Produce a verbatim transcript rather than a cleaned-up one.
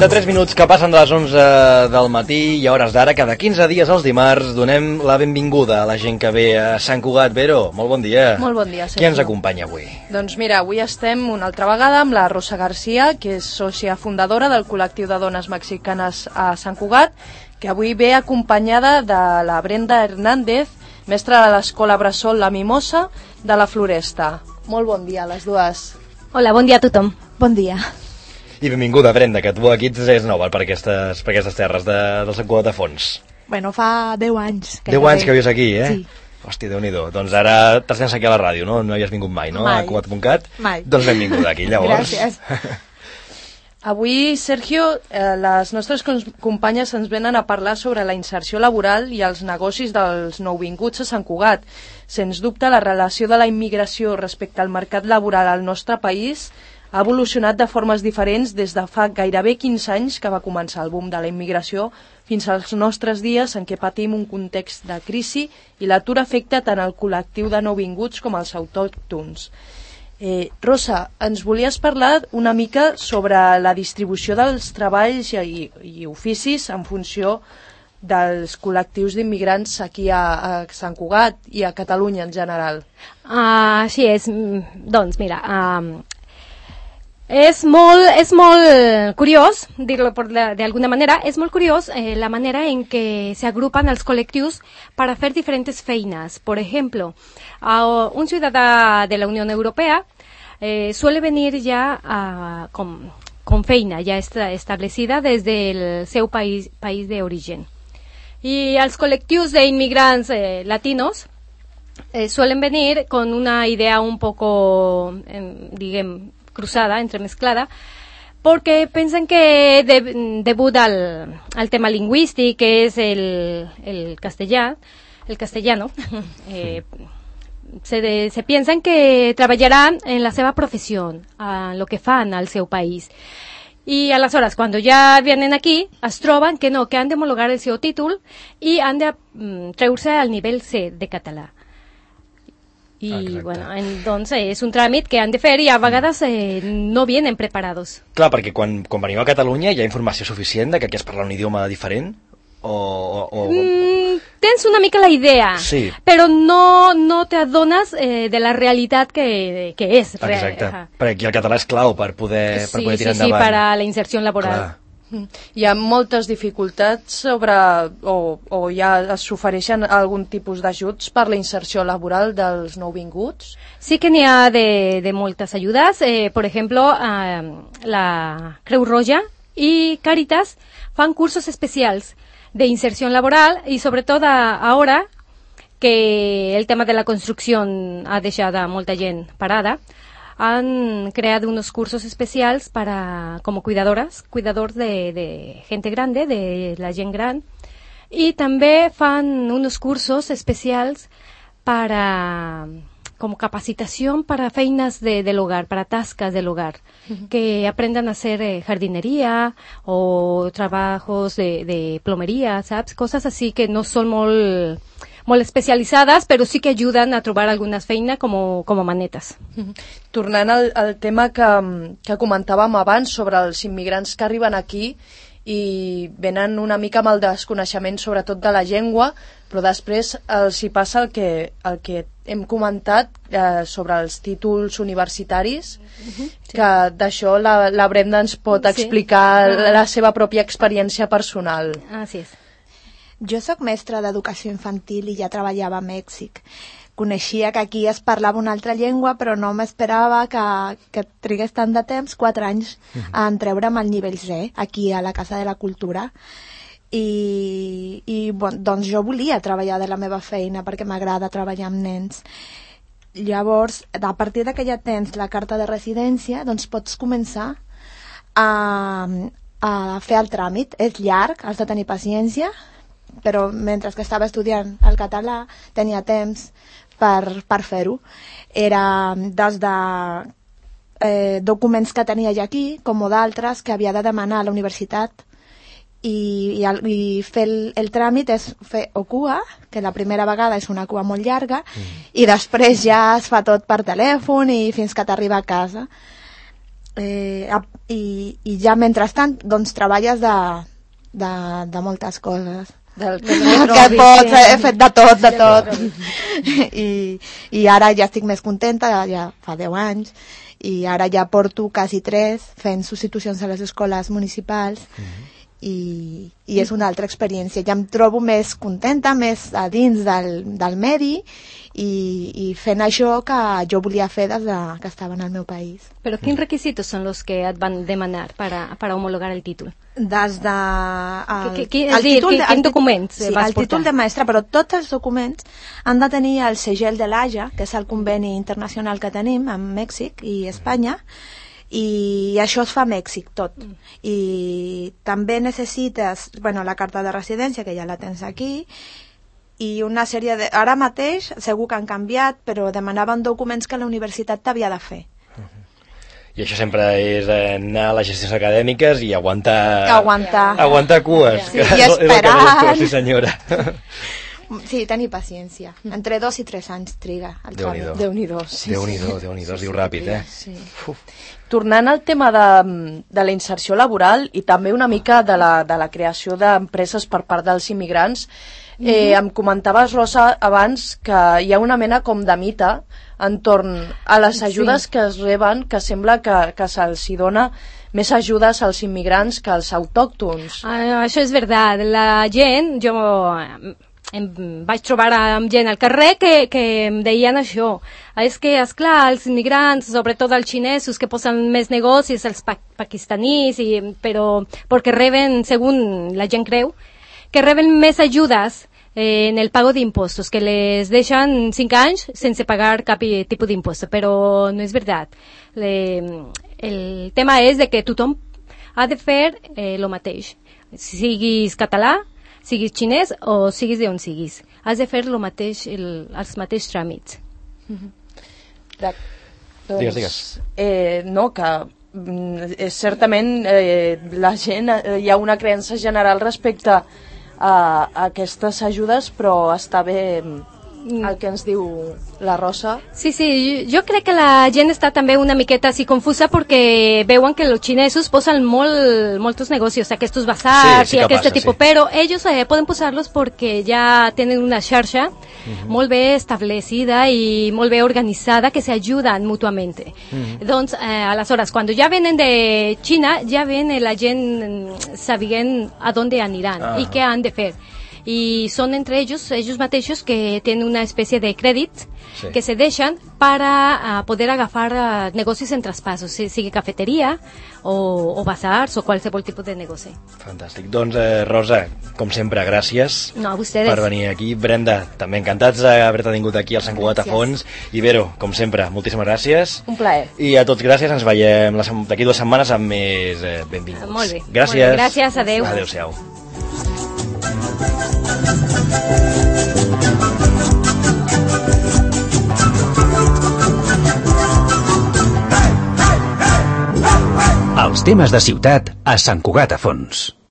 trenta-tres minuts que passen de les onze del matí i a hores d'ara, cada quinze dies els dimarts, donem la benvinguda a la gent que ve a Sant Cugat. Vero, molt bon dia. Molt bon dia, Sergio. Qui ens acompanya avui? Doncs mira, avui estem una altra vegada amb la Rosa García, que és sòcia fundadora del col·lectiu de dones mexicanes a Sant Cugat, que avui ve acompanyada de la Brenda Hernández, mestra de l'Escola Bressol La Mimosa de la Floresta. Molt bon dia a les dues. Hola, bon dia a tothom. Bon dia. I benvinguda, Brenda, que tu aquí és nova per aquestes, per aquestes terres de, del Sant Cugat de Fons. Bueno, fa deu anys. Deu anys que vius aquí, eh? Sí. Hòstia, Déu-n'hi-do. Doncs ara t'has vens aquí a la ràdio, no? No hi has vingut mai, no? Mai. A cugat punt cat. Mai. Doncs benvinguda aquí, llavors. Gràcies. Avui, Sergio, eh, les nostres companyes ens venen a parlar sobre la inserció laboral i els negocis dels nouvinguts a Sant Cugat. Sens dubte, la relació de la immigració respecte al mercat laboral al nostre país ha evolucionat de formes diferents des de fa gairebé quinze anys que va començar el boom de la immigració fins als nostres dies en què patim un context de crisi i l'atur afecta tant el col·lectiu de nouvinguts com els autòctons. Eh, Rosa, ens volies parlar una mica sobre la distribució dels treballs i, i oficis en funció dels col·lectius d'immigrants aquí a, a Sant Cugat i a Catalunya en general. Uh, així és. Doncs mira, uh, és molt, és molt curiós, dir-lo d'alguna manera, és molt curiós eh, la manera en què se agrupan els col·lectius para hacer diferentes feinas. Por ejemplo, uh, un ciudadà de la Unión Europea eh, suele venir ya uh, con, con feina ya esta, establecida desde el seu país, país de origen. Y els col·lectius d'inmigrants eh, latinos eh, suelen venir con una idea un poco, eh, diguem, cruzada, entremezclada, porque piensan que de, debut al, al tema lingüístic, que es el, el castellà, el castellano, eh, se, de, se piensan que treballaran en la seva professió, a lo que fan al seu país. I aleshores, quan ja vienen aquí, es troben que no, que han d'homologar el seu títol i han de mm, treure-se al nivell C de català. I, exacte. Bueno, doncs és un tràmit que han de fer i a vegades eh, no vienen preparados. Clar, perquè quan, quan venim a Catalunya hi ha informació suficient de que aquí es parla un idioma diferent? O, o, o... Mm, tens una mica la idea, sí. Però no, no te adones eh, de la realitat que, que és. Exacte, real. perquè aquí el català és clau per poder, sí, per poder tirar sí, sí, endavant. Sí, per a la inserció laboral. Clar. Hi ha moltes dificultats sobre, o, o ja s'ofereixen algun tipus d'ajuts per la inserció laboral dels nouvinguts? Sí que n'hi ha de, de moltes ajudes. Eh, por ejemplo, eh, la Creu Roja y Càritas fan cursos especials de inserción laboral y sobre todo ahora que el tema de la construcción ha deixat a molta gent parada, han creado unos cursos especials para como cuidadoras, cuidadors de, de gente grande, de la gent gran, y també fan unos cursos especials para como capacitación para feinas de, del hogar, para tascas del hogar, uh-huh. Que aprendan a hacer eh, jardinería o trabajos de, de plomería, ¿sabes? Cosas así que no son molt, molt especialitzades, però sí que ajuden a trobar algunes feines com, com manetes. Uh-huh. Tornant al, al tema que, que comentàvem abans sobre els immigrants que arriben aquí i venen una mica amb el desconeixement sobretot de la llengua, però després els hi passa el que, el que hem comentat eh, sobre els títols universitaris, uh-huh, sí. Que d'això la, la Brenda ens pot explicar sí. la, la seva pròpia experiència personal. Así és. Jo sóc mestra d'educació infantil i ja treballava a Mèxic. Coneixia que aquí es parlava una altra llengua, però no m'esperava que, que trigués tant de temps, quatre anys, a entreure'm al nivell C, aquí a la Casa de la Cultura. I, i bon, doncs jo volia treballar de la meva feina perquè m'agrada treballar amb nens. Llavors, a partir que ja tens la carta de residència, doncs pots començar a, a fer el tràmit. És llarg, has de tenir paciència, però mentre que estava estudiant el català tenia temps per, per fer-ho. Era des de eh, documents que tenia ja aquí, com d'altres que havia de demanar a la universitat, i, i, el, i fer el, el tràmit és fer o cua, que la primera vegada és una cua molt llarga, mm. i després ja es fa tot per telèfon i fins que t'arriba a casa. eh, i, i ja mentrestant doncs treballes de, de, de moltes coses. Del que pots, he fet de tot, de tot. I, i ara ja estic més contenta, ja fa deu anys, i ara ja porto quasi tres fent substitucions a les escoles municipals. Mm-hmm. I, i és una altra experiència. Ja em trobo més contenta, més a dins del, del medi i, i fent això que jo volia fer des de, que estava en el meu país. Però quins requisitos són els que et van demanar per a, per a homologar el títol? Des de... El, que, que, el dir, títol, de, quin documents sí, vas el portar? Títol de mestre, però tots els documents han de tenir el segell de l'A J A, que és el conveni internacional que tenim amb Mèxic i Espanya, i això es fa a Mèxic tot. Mm. I també necessites, bueno, la carta de residència, que ja la tens aquí, i una sèrie de... Ara mateix segur que han canviat, però demanaven documents que la universitat t'havia de fer. I això sempre és anar a les gestions acadèmiques i aguantar... Aguantar. Aguantar cues. Sí, i esperar. Sí, senyora. Sí, tenir paciència. Entre dos i tres anys triga el tràmit. Déu-n'hi-do. Sí, Déu-n'hi-do, Déu-n'hi-do, es diu ràpid, eh? Sí. Tornant al tema de, de la inserció laboral i també una mica de la, de la creació d'empreses per part dels immigrants, eh, mm-hmm. em comentaves, Rosa, abans que hi ha una mena com de mite entorn a les ajudes sí. que es reben, que sembla que, que se'ls hi dona més ajudes als immigrants que als autòctons. Ah, això és veritat. La gent, jo em vaig trobar amb gent al carrer que, que em deien això. És que, esclar, els immigrants, sobretot els xinesos, que posen més negocis, els pa pakistanis, i, però perquè reben, segons la gent creu, que reben més ajudes eh, en el pago d'impostos, que les deixen cinc anys sense pagar cap tipus d'impost, però no és veritat. Le, el tema és de que tothom ha de fer eh, el mateix. Siguis català, siguis xinès o siguis d'on siguis. Has de fer lo mateix, el, els mateixos tràmits. Mm-hmm. De, doncs, digues, digues. Eh, no, que eh, certament eh, la gent, eh, hi ha una creença general respecte a, a aquestes ajudes, però està bé el que ens diu la Rosa. Sí, sí, jo crec que la gent està també una miqueta així confusa perquè veuen que els xinesos posen molt, molts negocios, aquests basars sí, sí i aquest passa, tipus, sí. Però ells eh, poden posar-los perquè ja tenen una xarxa uh-huh. molt bé establecida i molt bé organitzada que s'ajuden mútuament. Uh-huh. Doncs, eh, aleshores, quan ja venen de Xina, ja ven la gent sabent a on aniran uh-huh. i què han de fer. Y son entre ellos, ellos mateixos que tienen una especie de crèdit sí. que se deixen para uh, poder agafar uh, negocis en traspasos, sigui cafeteria o, o basars o qualsevol tipus de negoci. Fantàstic. Doncs, eh, Rosa, com sempre, gràcies no, a ustedes. Per venir aquí. Brenda, també encantats d'haver-te tingut aquí al Sant Cugat a Fons. I Vero, com sempre, moltíssimes gràcies. Un plaer. I a tots gràcies, ens veiem d'aquí dues setmanes amb més eh, benvinguts. Molt bé. Gràcies. Molt bé. Gràcies, adeu. Adéu-siau. Els temes de ciutat a Sant Cugat a Fons.